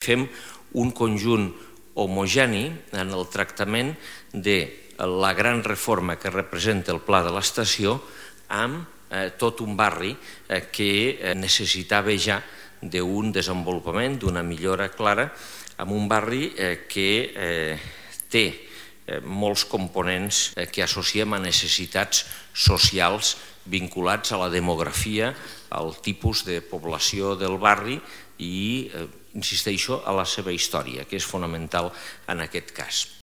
Fem un conjunt homogeni en el tractament de la gran reforma que representa el Pla de l'Estació amb tot un barri que necessitava ja d'un desenvolupament, d'una millora clara, amb un barri que té molts components que associem a necessitats socials vinculats a la demografia, al tipus de població del barri i, insisteixo, a la seva història, que és fonamental en aquest cas.